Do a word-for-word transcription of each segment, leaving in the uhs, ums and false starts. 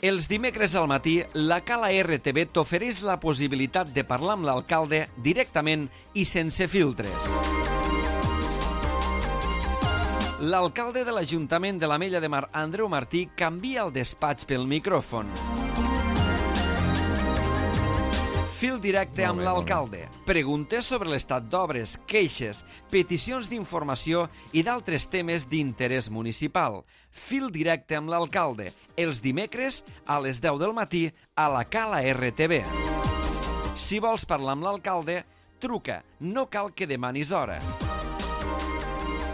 Els dimecres al matí, la Cala R T V t'ofereix la possibilitat de parlar amb l'alcalde directament i sense filtres. L'alcalde de l'Ajuntament de l'Ametlla de Mar, Andreu Martí, canvia el despatx pel micròfon. Fil directe amb l'alcalde. Preguntes sobre l'estat d'obres, queixes, peticions d'informació i d'altres temes d'interès municipal. Fil directe amb l'alcalde. Els dimecres a les deu del matí a la Cala R T V. Si vols parlar amb l'alcalde, truca. No cal que demanis hora.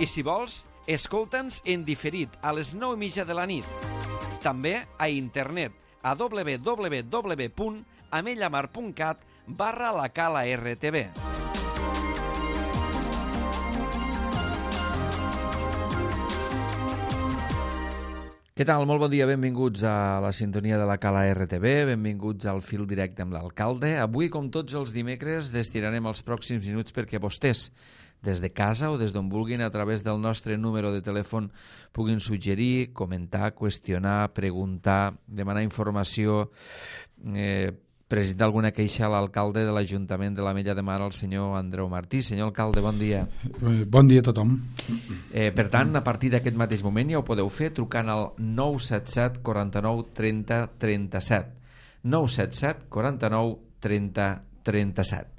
I si vols, escolta'ns en diferit a les nou i mitja de la nit. També a internet a w w w punt amellamar punt cat barra la Cala R T V. Què tal? Molt bon dia, benvinguts a la sintonia de la Cala R T V, benvinguts al fil directe amb l'alcalde. Avui, com tots els dimecres, destinarem els pròxims minuts perquè vostès, des de casa o des d'on vulguin, a través del nostre número de telèfon, puguin suggerir, comentar, qüestionar, preguntar, demanar informació, eh, presentar alguna queixa a l'alcalde de l'Ajuntament de l'Ametlla de Mar, el senyor Andreu Martí. Senyor alcalde, bon dia. Bon dia a tothom. Eh, per tant, a partir d'aquest mateix moment ja ho podeu fer trucant al nou set set quaranta-nou trenta trenta-set. nou set set quaranta-nou trenta trenta-set.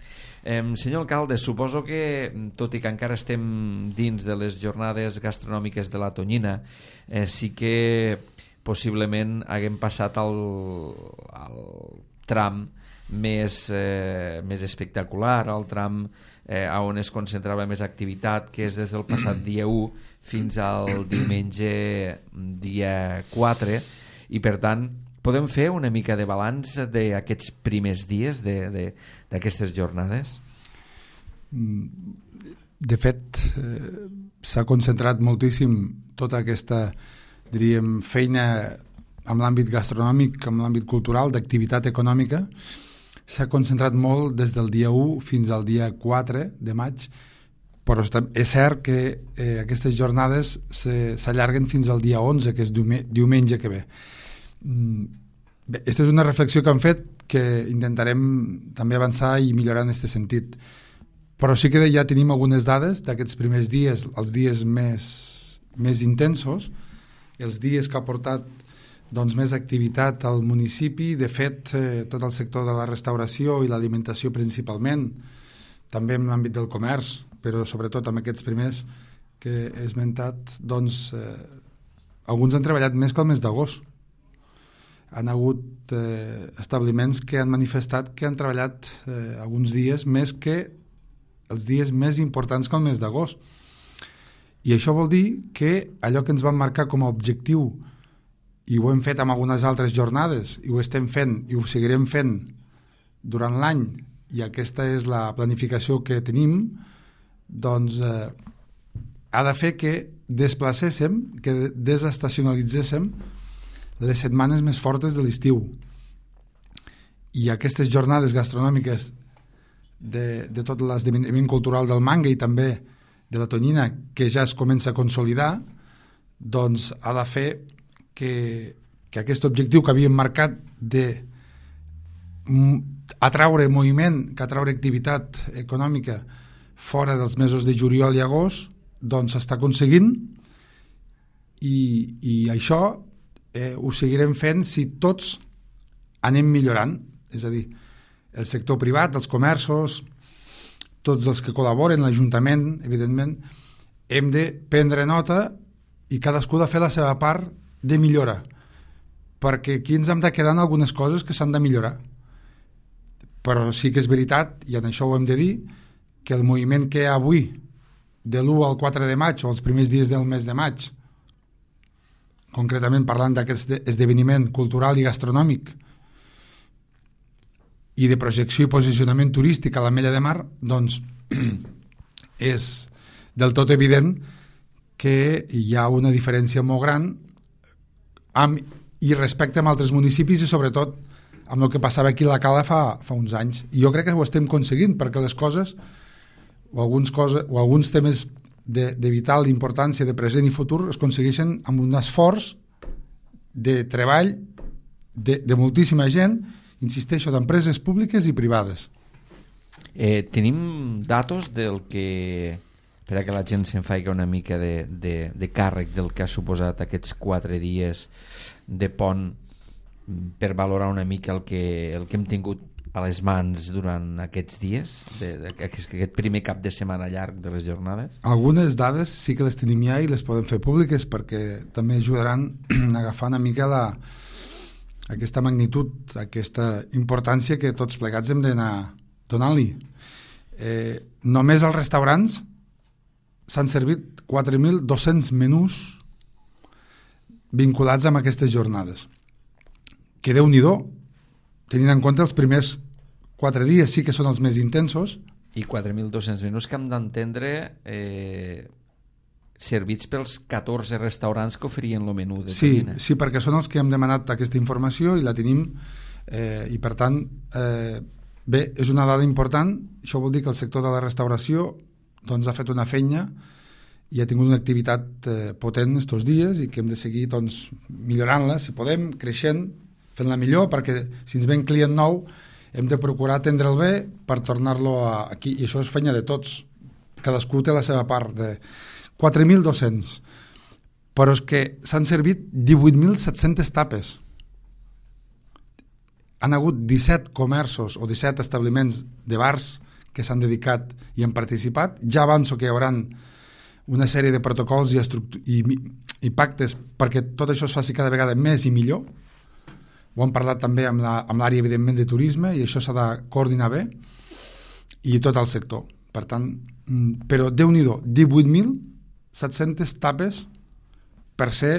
Eh, senyor alcalde, suposo que, tot i que encara estem dins de les jornades gastronòmiques de la Tonyina, eh, sí que possiblement haguem passat al, al tram més, eh, més espectacular, el tram eh, on es concentrava més activitat, que és des del passat dia u fins al diumenge dia quatre, i per tant podem fer una mica de balanç d'aquests primers dies d'aquestes jornades? De fet, eh, s'ha concentrat moltíssim tota aquesta, diríem, feina amb l'àmbit gastronòmic, amb l'àmbit cultural, d'activitat econòmica. S'ha concentrat molt des del dia u fins al dia quatre de maig, però és cert que eh, aquestes jornades s'allarguen fins al dia onze, que és diumenge que ve. Bé, aquesta és una reflexió que hem fet, que intentarem també avançar i millorar en aquest sentit. Però sí que ja tenim algunes dades d'aquests primers dies, els dies més, més intensos, els dies que ha portat doncs, més activitat al municipi. De fet, eh, tot el sector de la restauració i l'alimentació principalment, també en l'àmbit del comerç, però sobretot amb aquests primers que he esmentat, doncs, eh, alguns han treballat més que el mes d'agost. Han hagut eh, establiments que han manifestat que han treballat eh, alguns dies més que els dies més importants que el mes d'agost. I això vol dir que allò que ens vam marcar com a objectiu, i ho hem fet amb algunes altres jornades, i ho estem fent i ho seguirem fent durant l'any, i aquesta és la planificació que tenim, doncs eh, ha de fer que desplacéssim, que desestacionalitzéssim les setmanes més fortes de l'estiu. I aquestes jornades gastronòmiques de, de tot l'esdeveniment cultural del manga i també de la Tonyina, que ja es comença a consolidar, doncs ha de fer que, que aquest objectiu que havíem marcat de atraure moviment, que atraure activitat econòmica fora dels mesos de juliol i agost, doncs s'està aconseguint, i, i això eh, ho seguirem fent si tots anem millorant, és a dir, el sector privat, els comerços, tots els que col·laboren, l'Ajuntament, evidentment, hem de prendre nota i cadascú ha de fer la seva part de millora, perquè aquí ens hem de quedar en algunes coses que s'han de millorar. Però sí que és veritat, i en això ho hem de dir, que el moviment que hi ha avui, de l'u al quatre de maig, o els primers dies del mes de maig, concretament parlant d'aquest esdeveniment cultural i gastronòmic, i de projecció i posicionament turístic a l'Ametlla de Mar, doncs és del tot evident que hi ha una diferència molt gran amb, i respecte amb altres municipis, i sobretot amb el que passava aquí a la Cala fa, fa uns anys. I jo crec que ho estem aconseguint, perquè les coses o alguns, coses, o alguns temes de, de vital importància de present i futur es aconsegueixen amb un esforç de treball de, de moltíssima gent, insisteixo, d'empreses públiques i privades. Eh, tenim datos del que, per a que la gent se'n faci una mica de, de, de càrrec del que ha suposat aquests quatre dies de pont, per valorar una mica el que, el que hem tingut a les mans durant aquests dies, de, de, aquest, aquest primer cap de setmana llarg de les jornades? Algunes dades sí que les tenim ja i les podem fer públiques perquè també ajudaran a agafar una mica la, aquesta magnitud, aquesta importància que tots plegats hem d'anar donant-li. Eh, només als restaurants s'han servit quatre mil dos-cents menús vinculats amb aquestes jornades. Que Déu-n'hi-do, tenint en compte els primers quatre dies sí que són els més intensos. I quatre mil dos-cents menús que hem d'entendre eh, servits pels catorze restaurants que oferien el menú de sí, Tonyina. Sí, perquè són els que hem demanat aquesta informació i la tenim, eh, i per tant eh, bé, és una dada important. Això vol dir que el sector de la restauració doncs, ha fet una feina i ha tingut una activitat eh, potent estos dies i que hem de seguir doncs, millorant-la, si podem, creixent, fent-la millor, perquè si ens ven client nou hem de procurar atendre'l bé per tornar-lo aquí, i això és feina de tots, cadascú té la seva part. De quatre mil dos-cents, però és que s'han servit divuit mil set-centes tapes. Han hagut disset comerços o disset establiments de bars que s'han dedicat i han participat. Ja avanço que hi haurà una sèrie de protocols i, i, i pactes perquè tot això es faci cada vegada més i millor. Ho hem parlat també amb la, amb l'àrea, evidentment, de turisme, i això s'ha de coordinar bé, i tot el sector. Per tant, però Déu-n'hi-do, divuit mil set-centes tapes per ser,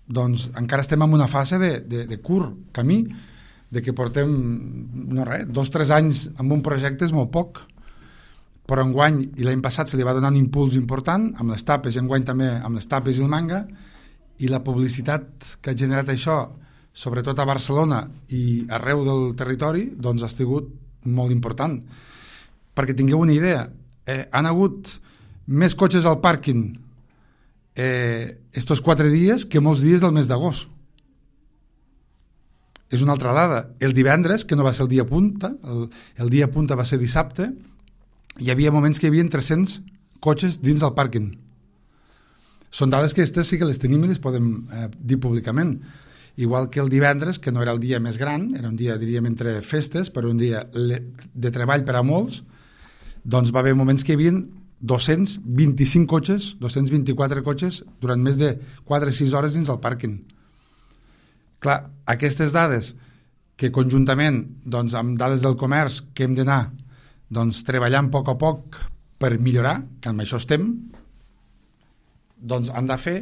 doncs, encara estem en una fase de, de, de curt camí, de que portem, no res, dos o tres anys amb un projecte és molt poc, però enguany, i l'any passat se li va donar un impuls important, amb les tapes, i enguany també amb les tapes i el manga, i la publicitat que ha generat això, sobretot a Barcelona i arreu del territori, doncs ha estat molt important. Perquè tingueu una idea, eh, han hagut més cotxes al pàrquing eh, estos quatre dies que molts dies del mes d'agost. És una altra dada. El divendres, que no va ser el dia punta, el, el dia punta va ser dissabte, hi havia moments que hi havia tres-cents cotxes dins del pàrquing. Són dades que aquestes sí que les tenim i les podem eh, dir públicament. Igual que el divendres, que no era el dia més gran, era un dia, diríem, entre festes, però un dia de treball per a molts, doncs va haver moments que hi havia dos-cents vint-i-cinc cotxes, dos-cents vint-i-quatre cotxes, durant més de quatre o sis hores dins del pàrquing. Clar, aquestes dades, que conjuntament, doncs, amb dades del comerç, que hem d'anar doncs, treballant a poc a poc per millorar, que amb això estem, doncs han de fer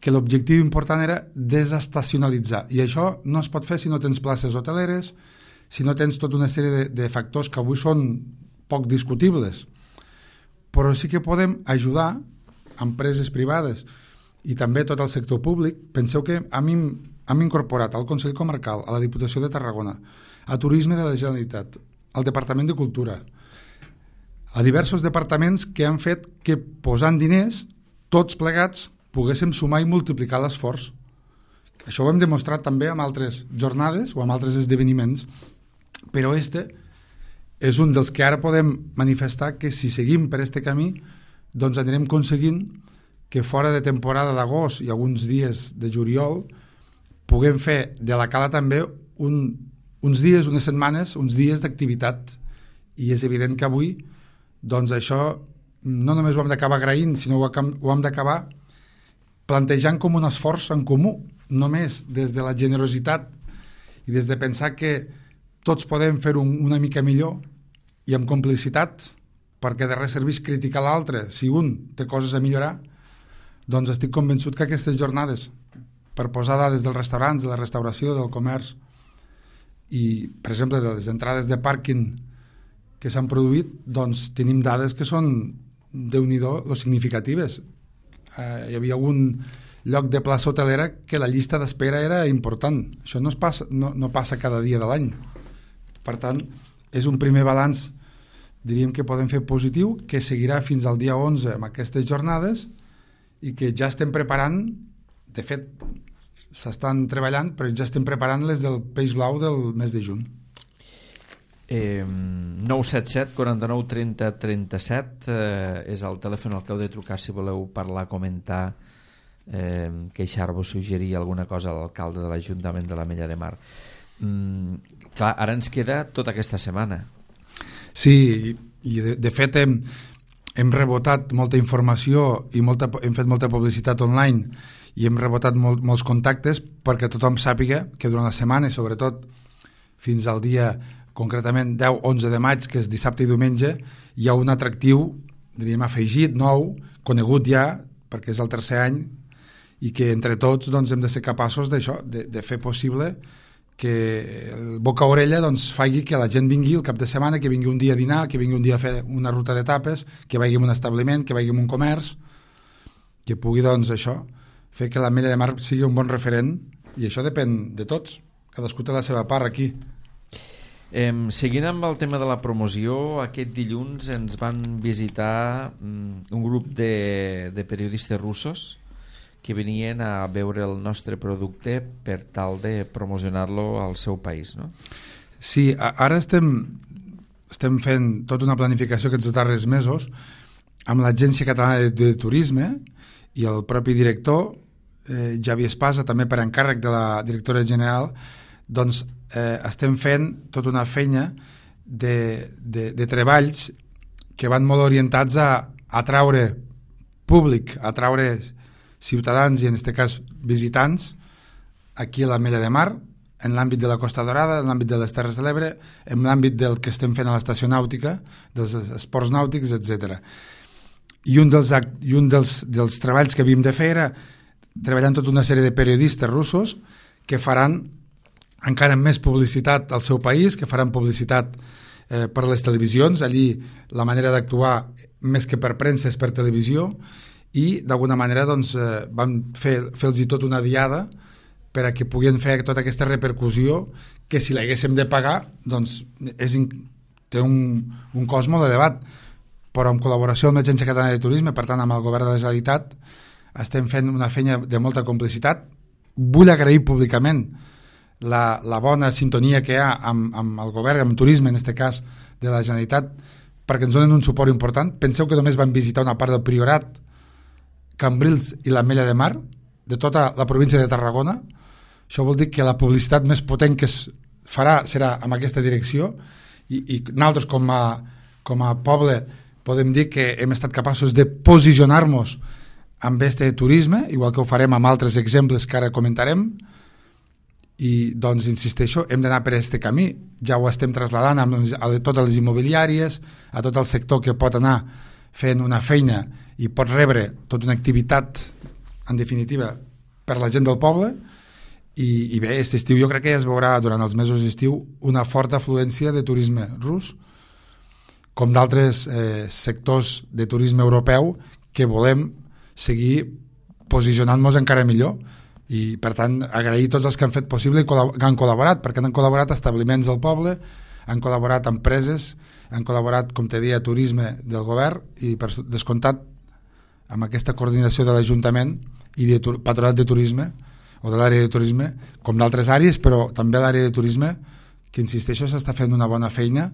que l'objectiu important era desestacionalitzar, i això no es pot fer si no tens places hoteleres, si no tens tota una sèrie de, de factors que avui són poc discutibles, però sí que podem ajudar empreses privades i també tot el sector públic. Penseu que hem, hem incorporat al Consell Comarcal, a la Diputació de Tarragona, a Turisme de la Generalitat, al Departament de Cultura, a diversos departaments que han fet que posant diners, tots plegats, poguéssim sumar i multiplicar l'esforç. Això ho hem demostrat també amb altres jornades o amb altres esdeveniments, però este és un dels que ara podem manifestar que si seguim per este camí doncs anirem aconseguint que fora de temporada d'agost i alguns dies de juliol puguem fer de la cala també un, uns dies, unes setmanes, uns dies d'activitat, i és evident que avui doncs això no només ho hem d'acabar agraint, sinó ho hem d'acabar plantejant com un esforç en comú, només des de la generositat i des de pensar que tots podem fer-ho una mica millor i amb complicitat, perquè de res serveix criticar l'altre si un té coses a millorar. Doncs estic convençut que aquestes jornades, per posar dades dels restaurants, de la restauració, del comerç i, per exemple, de les entrades de pàrquing que s'han produït, doncs tenim dades que són, Déu-n'hi-do, lo significatives. Uh, hi havia algun lloc de plaça hotelera que la llista d'espera era important. Això no, es passa, no, no passa cada dia de l'any. Per tant, és un primer balanç, diríem que podem fer positiu, que seguirà fins al dia onze amb aquestes jornades i que ja estem preparant, de fet, s'estan treballant, però ja estem preparant les del peix blau del mes de juny. Eh, nou set set, quaranta-nou, trenta, trenta-set eh, és el telèfon al que heu de trucar si voleu parlar, comentar, eh, queixar-vos, suggerir alguna cosa a l'alcalde de l'Ajuntament de l'Ametlla de Mar. Mm, clar, ara ens queda tota aquesta setmana. Sí, i de, de fet hem, hem rebotat molta informació i molta, hem fet molta publicitat online i hem rebotat molt, molts contactes perquè tothom sàpiga que durant la setmana, i sobretot fins al dia concretament deu onze de maig, que és dissabte i diumenge, hi ha un atractiu, diríem, afegit, nou, conegut ja, perquè és el tercer any, i que entre tots doncs, hem de ser capaços d'això, de, de fer possible que el boca a orella doncs, faci que la gent vingui el cap de setmana, que vingui un dia a dinar, que vingui un dia a fer una ruta d'etapes, que vagi a un establiment, que vagi a un comerç, que pugui doncs, això, fer que l'Ametlla de Mar sigui un bon referent, i això depèn de tots, cadascú té la seva part aquí. Eh, seguint amb el tema de la promoció, aquest dilluns ens van visitar mm, un grup de, de periodistes russos que venien a veure el nostre producte per tal de promocionar-lo al seu país, no? Sí, ara estem, estem fent tota una planificació aquests darrers mesos amb l'Agència Catalana de, de Turisme i el propi director, eh, Javi Espasa, també per encàrrec de la directora general, doncs eh, estem fent tota una feina de, de, de treballs que van molt orientats a atraure públic, a atraure ciutadans i en aquest cas visitants aquí a l'Ametlla de Mar, en l'àmbit de la Costa Dorada, en l'àmbit de les Terres de l'Ebre, en l'àmbit del que estem fent a l'estació nàutica, dels esports nàutics, etcètera. I un dels, i un dels, dels treballs que havíem de fer era treballar amb tota una sèrie de periodistes russos que faran encara més publicitat al seu país, que faran publicitat eh, per les televisions. Allí la manera d'actuar més que per premsa és per televisió, i d'alguna manera doncs, eh, vam fer, fer-los tot una diada per a que puguin fer tota aquesta repercussió que si l'haguéssim de pagar doncs és, té un, un cost molt elevat, però en col·laboració amb l'Agència Catalana de Turisme, per tant amb el govern de la Generalitat, estem fent una feina de molta complicitat. Vull agrair públicament La, la bona sintonia que hi ha amb, amb el govern, amb turisme, en aquest cas de la Generalitat, perquè ens donen un suport important. Penseu que només van visitar una part del Priorat, Cambrils i l'Ametlla de Mar, de tota la província de Tarragona. Això vol dir que la publicitat més potent que es farà serà en aquesta direcció, i, i nosaltres com a, com a poble podem dir que hem estat capaços de posicionar-nos amb este turisme, igual que ho farem amb altres exemples que ara comentarem. I doncs insisteixo, hem d'anar per aquest camí, ja ho estem traslladant a, a totes les immobiliàries, a tot el sector que pot anar fent una feina i pot rebre tota una activitat en definitiva per la gent del poble. I, i bé, aquest estiu jo crec que ja es veurà durant els mesos d'estiu una forta afluència de turisme rus, com d'altres eh, sectors de turisme europeu que volem seguir posicionant-nos encara millor. I per tant agrair tots els que han fet possible i que han col·laborat, perquè han col·laborat establiments del poble, han col·laborat empreses, han col·laborat, com te deia, turisme del govern, i per descomptat amb aquesta coordinació de l'Ajuntament i de Patronat de Turisme o de l'àrea de turisme, com d'altres àrees, però també l'àrea de turisme, que insisteixo s'està fent una bona feina,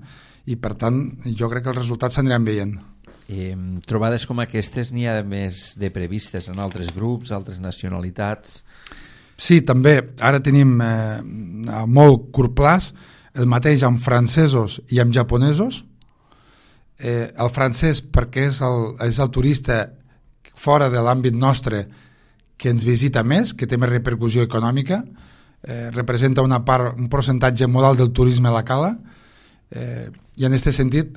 i per tant jo crec que els resultats s'aniran veient. Eh, trobades com aquestes n'hi ha més de previstes en altres grups, altres nacionalitats? Sí, també. Ara tenim eh, a molt curt plaç el mateix amb francesos i amb japonesos. Eh, el francès perquè és el, és el turista fora de l'àmbit nostre que ens visita més, que té més repercussió econòmica, eh, representa una part, un percentatge molt alt del turisme a la cala, eh, i en aquest sentit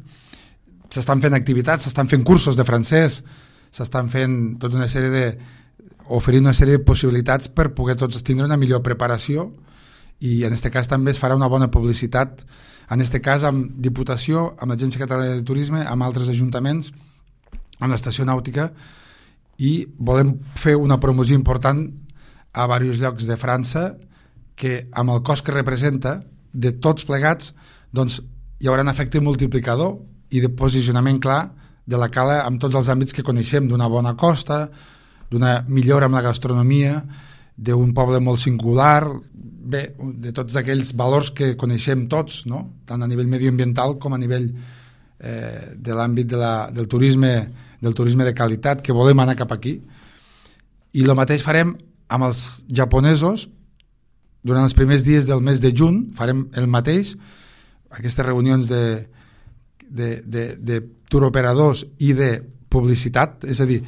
s'estan fent activitats, s'estan fent cursos de francès, s'estan fent tota una sèrie de oferint una sèrie de possibilitats per poder tots tindre una millor preparació, i en aquest cas també es farà una bona publicitat, en aquest cas amb Diputació, amb l'Agència Catalana de Turisme, amb altres ajuntaments, amb l'estació nàutica, i volem fer una promoció important a diversos llocs de França que amb el cost que representa de tots plegats doncs hi haurà un efecte multiplicador i de posicionament clar de la cala amb tots els àmbits que coneixem, d'una bona costa, d'una millora amb la gastronomia, d'un poble molt singular, bé, de tots aquells valors que coneixem tots, no? Tant a nivell medioambiental com a nivell eh, de l'àmbit de la, del turisme del turisme de qualitat, que volem anar cap aquí. I el mateix farem amb els japonesos durant els primers dies del mes de juny, farem el mateix, aquestes reunions de, de, de, de turoperadors i de publicitat, és a dir,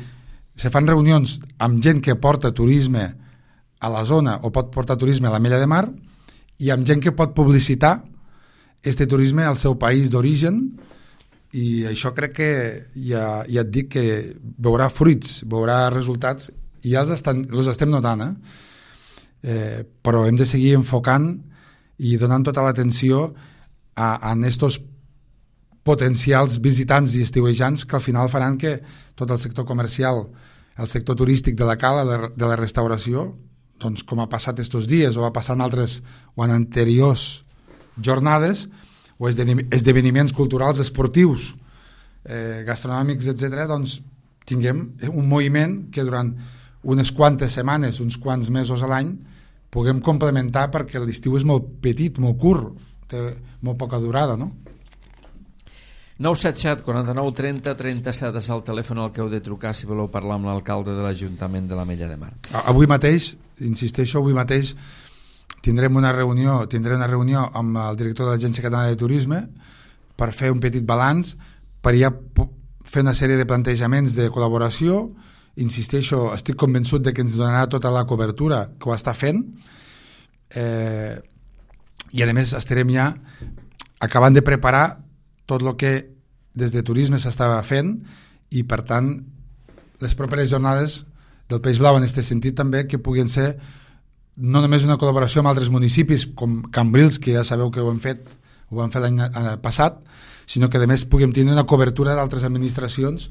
se fan reunions amb gent que porta turisme a la zona o pot portar turisme a la Mella de Mar i amb gent que pot publicitar este turisme al seu país d'origen, i això crec que ja, ja et dic que veurà fruits, veurà resultats, i ja els, estan, els estem notant, eh? Eh, però hem de seguir enfocant i donant tota l'atenció a, a estos potencials visitants i estiuejants que al final faran que tot el sector comercial, el sector turístic de la cala, de la restauració, doncs com ha passat estos dies o va passar en altres o en anteriors jornades o esdeveniments culturals, esportius, eh, gastronòmics, etcètera, doncs tinguem un moviment que durant unes quantes setmanes, uns quants mesos a l'any, puguem complementar, perquè l'estiu és molt petit, molt curt, té molt poca durada, no? nou set set, quaranta-nou, trenta, trenta-set és el telèfon al que heu de trucar si voleu parlar amb l'alcalde de l'Ajuntament de la Mella de Mar. Avui mateix, insisteixo, avui mateix tindrem una reunió, tindrem una reunió amb el director de l'Agència Catalana de Turisme per fer un petit balanç, per ja fer una sèrie de plantejaments de col·laboració. Insisteixo, estic convençut de que ens donarà tota la cobertura que ho està fent, eh, i a més estarem ja acabant de preparar tot el que des de turisme s'estava fent, i per tant les properes jornades del Peix Blau en aquest sentit també, que puguin ser no només una col·laboració amb altres municipis com Cambrils, que ja sabeu que ho hem fet ho vam fer l'any passat, sinó que a més puguem tindre una cobertura d'altres administracions,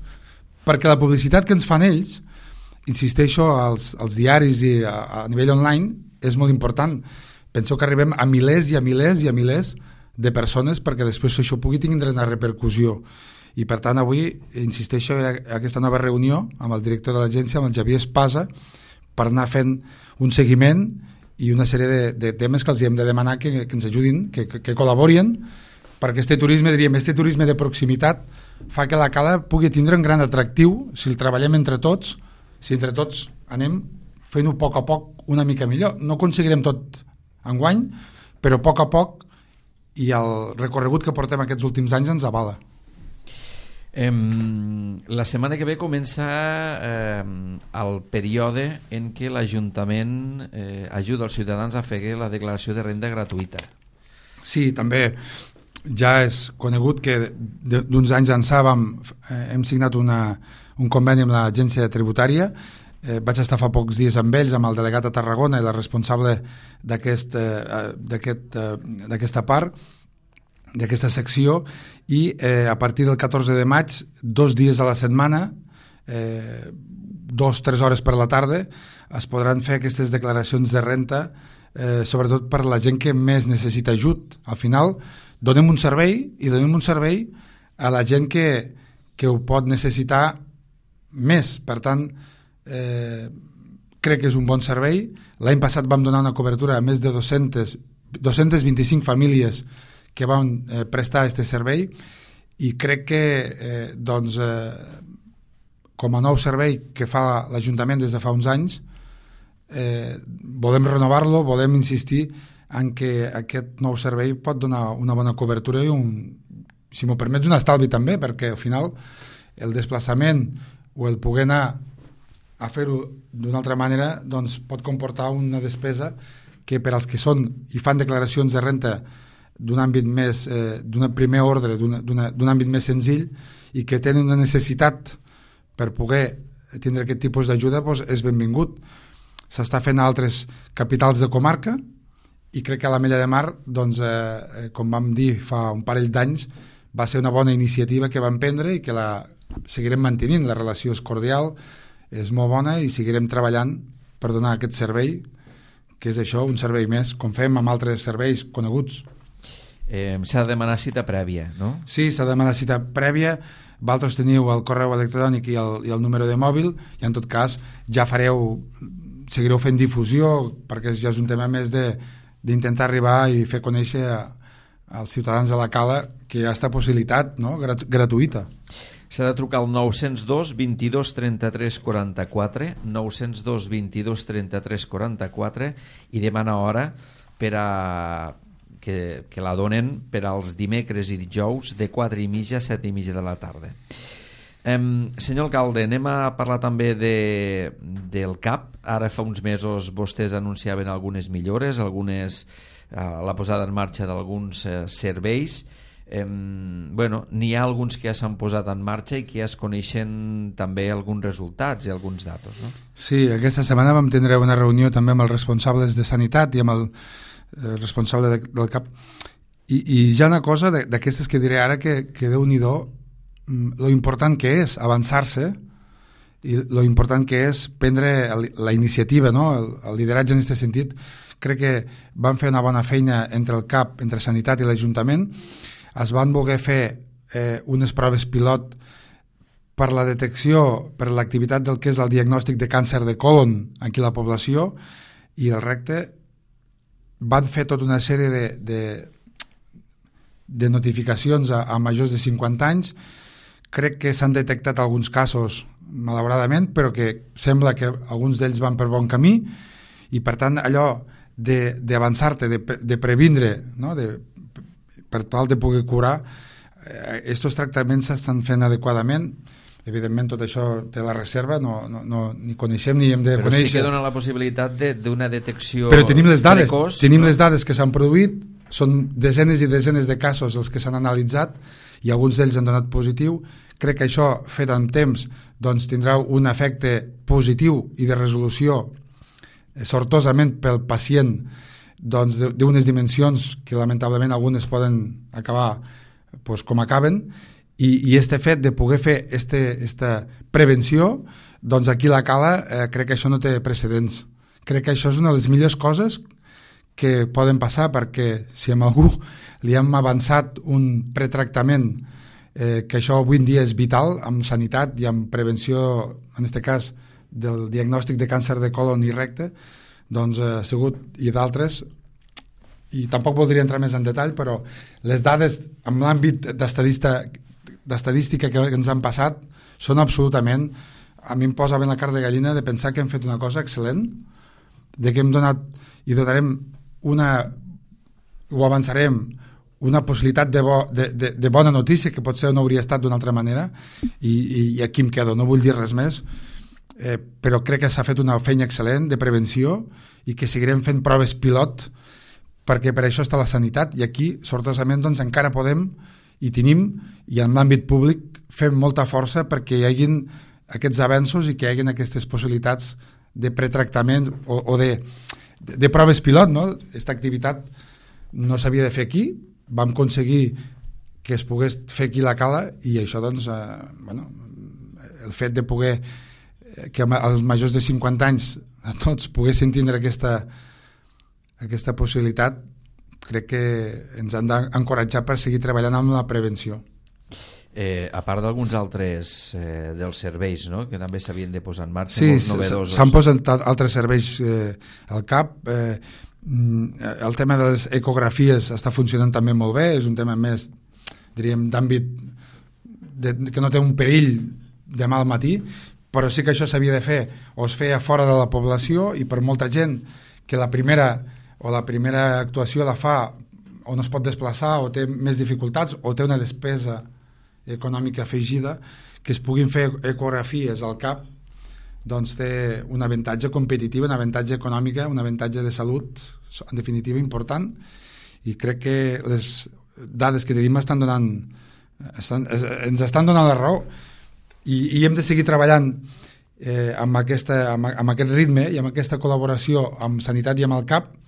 perquè la publicitat que ens fan ells, insisteixo, als, als diaris i a, a nivell online, és molt important. Penso que arribem a milers i a milers i a milers de persones perquè després això pugui tindre una repercussió. I per tant avui, insisteixo, en aquesta nova reunió amb el director de l'agència, amb el Javier Espasa, per anar fent un seguiment i una sèrie de, de temes que els hem de demanar que, que ens ajudin, que, que, que col·laborin, perquè este turisme, diríem, este turisme de proximitat fa que la cala pugui tindre un gran atractiu si el treballem entre tots, si entre tots anem fent-ho a poc a poc una mica millor. No aconseguirem tot enguany, però a poc a poc, i el recorregut que portem aquests últims anys ens avala. Eh, la setmana que ve comença eh, el període en què l'Ajuntament eh, ajuda els ciutadans a fer la declaració de renda gratuïta. Sí, també ja és conegut que d'uns anys ençà vam, eh, hem signat una, un conveni amb l'agència tributària. Eh, vaig estar fa pocs dies amb ells, amb el delegat a Tarragona i la responsable d'aquest, eh, d'aquest, eh, d'aquesta part, d'aquesta secció, i eh, a partir del catorze de maig, dos dies a la setmana, eh, dos, tres hores per la tarda, es podran fer aquestes declaracions de renta, eh, sobretot per la gent que més necessita ajut. Al final, donem un servei, i donem un servei a la gent que, que ho pot necessitar més. Per tant, eh, crec que és un bon servei. L'any passat vam donar una cobertura a més de dos-centes vint-i-cinc famílies que van eh, prestar aquest servei, i crec que eh, doncs, eh, com a nou servei que fa l'Ajuntament des de fa uns anys, eh, volem renovar-lo, volem insistir en que aquest nou servei pot donar una bona cobertura i, un, si m'ho permets, un estalvi també, perquè al final el desplaçament o el poder anar a fer-ho d'una altra manera doncs pot comportar una despesa que per als que són i fan declaracions de renta d'un àmbit més, eh, d'un primer ordre, d'un àmbit més senzill, i que tenen una necessitat per poder tindre aquest tipus d'ajuda, doncs és benvingut. S'està fent a altres capitals de comarca, i crec que a la Mella de Mar, doncs, eh, com vam dir fa un parell d'anys, va ser una bona iniciativa que vam prendre i que la seguirem mantenint. La relació és cordial, és molt bona, i seguirem treballant per donar aquest servei, que és això, un servei més, com fem amb altres serveis coneguts. Eh, s'ha de demanar cita prèvia, no? Sí, s'ha de demanar cita prèvia. Vosaltres teniu el correu electrònic i el, i el número de mòbil, i en tot cas ja fareu seguireu fent difusió, perquè ja és un tema més d'intentar arribar i fer conèixer a, als ciutadans de la Cala que hi ha aquesta possibilitat, no? Grat gratuïta. S'ha de trucar al nou zero dos, vint-i-dos, trenta-tres, quaranta-quatre, nou zero dos, vint-i-dos, trenta-tres, quaranta-quatre, i demanar hora per a que, que la donen per als dimecres i dijous de quatre i mitja a set i mitja de la tarda. Um, senyor alcalde, anem a parlar també de, del C A P. Ara fa uns mesos vostès anunciaven algunes millores, algunes, uh, la posada en marxa d'alguns uh, serveis. Um, bueno, n'hi ha alguns que ja s'han posat en marxa i que ja es coneixen també alguns resultats i alguns datos, no? Sí, aquesta setmana vam tindre una reunió també amb els responsables de Sanitat i amb el eh, responsable de, del C A P. I, i ja una cosa d'aquestes que diré ara que, que Déu-n'hi-do lo important que és avançar-se i lo important que és prendre la iniciativa, no? el, el lideratge en aquest sentit. Crec que van fer una bona feina entre el C A P, entre Sanitat i l'Ajuntament. Es van voler fer eh, unes proves pilot per la detecció, per l'activitat del que és el diagnòstic de càncer de colon aquí a la població, i el recte van fer tota una sèrie de, de, de notificacions a, a majors de cinquanta anys. Crec que s'han detectat alguns casos, malauradament, però que sembla que alguns d'ells van per bon camí, i per tant allò d'avançar-te, de, de, de previndre, no? de, per tal de poder curar, aquests eh, tractaments s'estan fent adequadament. Evidentment tot això té la reserva, no, no, no, ni coneixem ni hem de però conèixer. Però sí que dona la possibilitat d'una detecció però tenim les dades, precoç. Tenim no? les dades que s'han produït, són desenes i desenes de casos els que s'han analitzat i alguns d'ells han donat positiu. Crec que això, fet amb temps, doncs tindrà un efecte positiu i de resolució eh, sortosament pel pacient, doncs d'unes dimensions que lamentablement algunes poden acabar pues, com acaben, i, i este fet de poder fer este, esta prevenció, doncs aquí a la Cala eh, crec que això no té precedents. Crec que això és una de les millors coses que poden passar, perquè si a algú li hem avançat un pretractament, eh, que això avui en dia és vital amb sanitat i amb prevenció, en aquest cas del diagnòstic de càncer de colon i recte, doncs ha eh, sigut, i d'altres, i tampoc voldria entrar més en detall, però les dades en l'àmbit d'estadística que ens han passat són absolutament, a mi em posa ben la carn de gallina de pensar que hem fet una cosa excel·lent, de que hem donat i donarem una, o avançarem una possibilitat de, bo, de, de, de bona notícia, que potser no hauria estat d'una altra manera, i, i, i aquí em quedo, no vull dir res més, eh, però crec que s'ha fet una feina excel·lent de prevenció i que seguirem fent proves pilot, perquè per això està la sanitat, i aquí sortosament doncs, encara podem i tenim, i en l'àmbit públic fem molta força perquè hi hagin aquests avenços i que hi hagin aquestes possibilitats de pretractament o, o de, de, de proves pilot, no? Aquesta activitat no s'havia de fer aquí, vam aconseguir que es pogués fer aquí a la Cala, i això doncs, eh, bueno, el fet de poder que els majors de cinquanta anys a tots poguessin tindre aquesta aquesta possibilitat, crec que ens han d'encoratjar per seguir treballant amb la prevenció. Eh, a part d'alguns altres eh, dels serveis, no?, que també s'havien de posar en marxa, sí, novedosos. S'han posat altres serveis eh, al cap. Eh, el tema de les ecografies està funcionant també molt bé, és un tema més, diríem, d'àmbit que no té un perill demà al matí, però sí que això s'havia de fer o es feia fora de la població, i per molta gent que la primera o la primera actuació la fa o no es pot desplaçar o té més dificultats o té una despesa econòmica afegida, que es puguin fer ecografies al cap, doncs té un avantatge competitiu, un avantatge econòmic, un avantatge de salut, en definitiva important, i crec que les dades que tenim estan donant, estan, ens estan donant la raó, i, i hem de seguir treballant eh, amb, aquesta, amb, amb aquest ritme i amb aquesta col·laboració amb Sanitat i amb el C A P,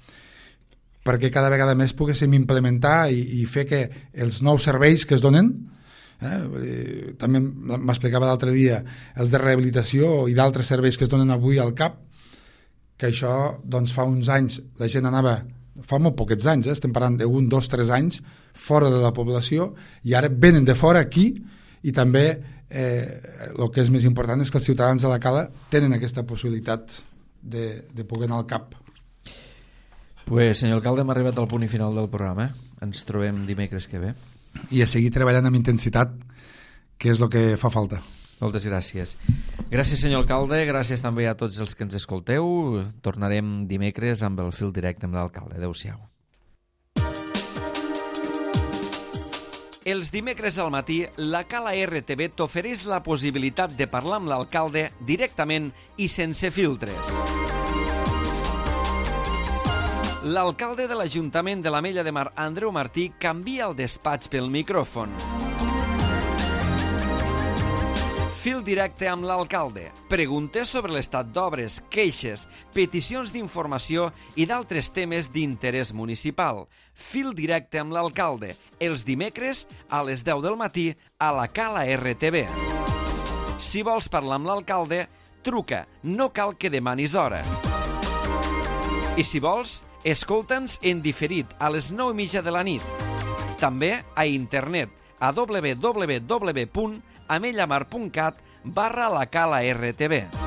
perquè cada vegada més poguéssim implementar i, i fer que els nous serveis que es donen, eh, també m'explicava l'altre dia, els de rehabilitació i d'altres serveis que es donen avui al C A P, que això doncs, fa uns anys la gent anava, fa molt poquets anys, eh, estem parlant d'un, dos, tres anys, fora de la població, i ara venen de fora aquí, i també eh, el que és més important és que els ciutadans de la Cala tenen aquesta possibilitat de, de poder anar al cap. Pues, senyor alcalde, hem arribat al punt i final del programa. Ens trobem dimecres que ve. I a seguir treballant amb intensitat, que és el que fa falta. Moltes gràcies. Gràcies, senyor alcalde, gràcies també a tots els que ens escolteu. Tornarem dimecres amb el fil directe amb l'alcalde. Adéu-siau. Els dimecres al matí, la Cala R T V t'ofereix la possibilitat de parlar amb l'alcalde directament i sense filtres. L'alcalde de l'Ajuntament de l'Ametlla de Mar, Andreu Martí, canvia el despatx pel micròfon. Fil directe amb l'alcalde. Preguntes sobre l'estat d'obres, queixes, peticions d'informació i d'altres temes d'interès municipal. Fil directe amb l'alcalde. Els dimecres a les deu del matí a la Cala R T V. Si vols parlar amb l'alcalde, truca. No cal que demanis hora. I si vols, escolta'ns en diferit a les nou i mitja de la nit. També a internet a w w w punt amellamar punt cat barra la Cala R T V.